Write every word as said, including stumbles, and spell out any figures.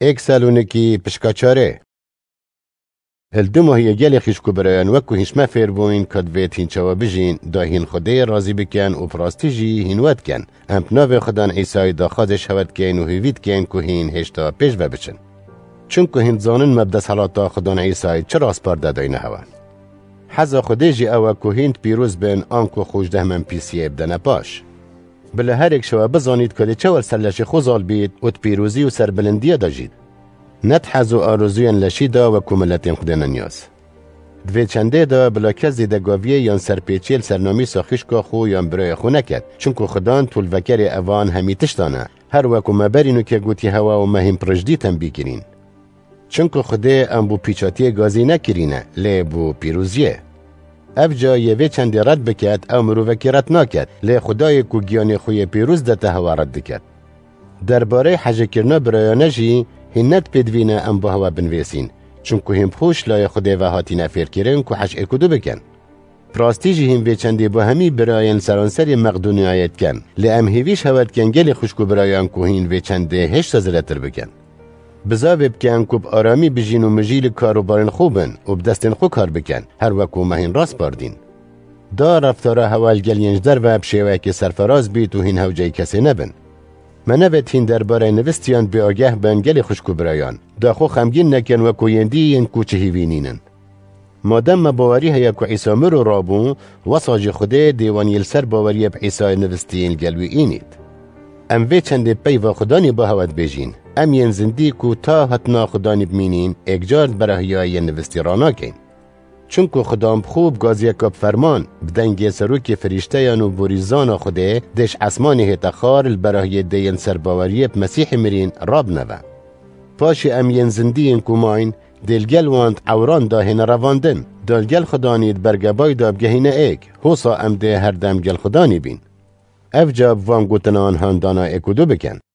Êk Salonîkî pişka çarê. Li du mahiyê gelê xîşk û birayan wek ku hîn ji me fêr bûyn, ka divêt hîn çawa bijîn, da hîn Xwedê razî bikin û bi rastî jî hîn we dikin. Em bi navê Xudan Îsayî daxwazê ji hewe dikeyn û hêvî dikeyn ku hîn hêşta pêş ve biçin. Çunku hîn dizanin me bi desthilata Xudan Îsayî çi raspar de dayne hewe. Heza Xwedê jî ew e ku hîn pîroz bin, anku xwe ji dehmên pîsiyê bidene paş. Bila her êk ji we bizanît ku dê çawa li ser leşê xwe zal bît û di pîrozî û serbilindiyê de jît. Ne di hez û arozûyên leşî de wek ku miletên Xwedê ne niyaz. Di vê çendê de bila kes zêdegaviyê yan serpêçiyê li ser namîsa xîşka xwe yan birayê xwe neket, çunku Xudan tolvekerê evan hemî tiştan e, her wek ku me berî nûke gotiye hewe û me hîn pirijdî tembî kirîn. Çunku Xwedê em bo pîçatiyê gazî nekirîne, lê bo pîroziyê. Ev ca yê vê çendê red biket, ew mirovekî red naket, lê Xwedayê ku giyanê xwe yê pîroz dete hewe red diket. Derbarê hejêkirina birayane jî hîn ne di pêdivî ne em bo hewe binivîsîn, çunku hîn bi xwe ji layê Xwedê ve hatîne fêrkirin ku hej êk û du bikin. Bi rastî jî hîn vê çendê bo hemî birayên seranserê Meqdonyayê dikin, lê em hêvî ji hewe dikin gelê xwişk û birayan ku hîn vê çendê hêşta zêdetir bikin. Bizavê bikin ku bi aramî bijîn û mijî li kar û barên xwe bin û bi destên xwe kar bikin, her wek ku me hîn raspar dîn. Da reftara hewe li gel yên ji derve bi şêweyekê serferaz bît û hîn hewceyî kesê nebin. Me nevêt hîn derbarê nivistiyan bêageh bin gelê xwişk û birayan. Da xwe xemgîn nekin wek ku yên dî yên ku çi hîvî nînin. Madem me bawerî heye ku Îsa mir û rabû, wesa jî Xwedê dê wan yê li ser baweriyê bi Îsayê nivistîn li gel wî înît. Em vê çendê peyva Xudanî bo hewe dibêjîn. Em yên zindî ku ta hatina Xudanî bimînîn, êkcar di berahiya yên nivistî ranakeyn. Çunku Xudan bi xwe bi gaziyeka bi ferman, bi dengê serokê firîşteyan û borîzana Xwedê dê ji esmanê hête xar li berahiyê dê yên ser baweriyê bi Mesîhê mirîn rabine ve. Paşê em yên zindî yên ku mayîn, dê li gel wan di ewran de hêne revandin, da li gel Xudanî di bergebayî de bigehîne êk, hosa em dê her dem gel Xudanî bîn. Ev ca bi van gotinan handana êk û du bikin.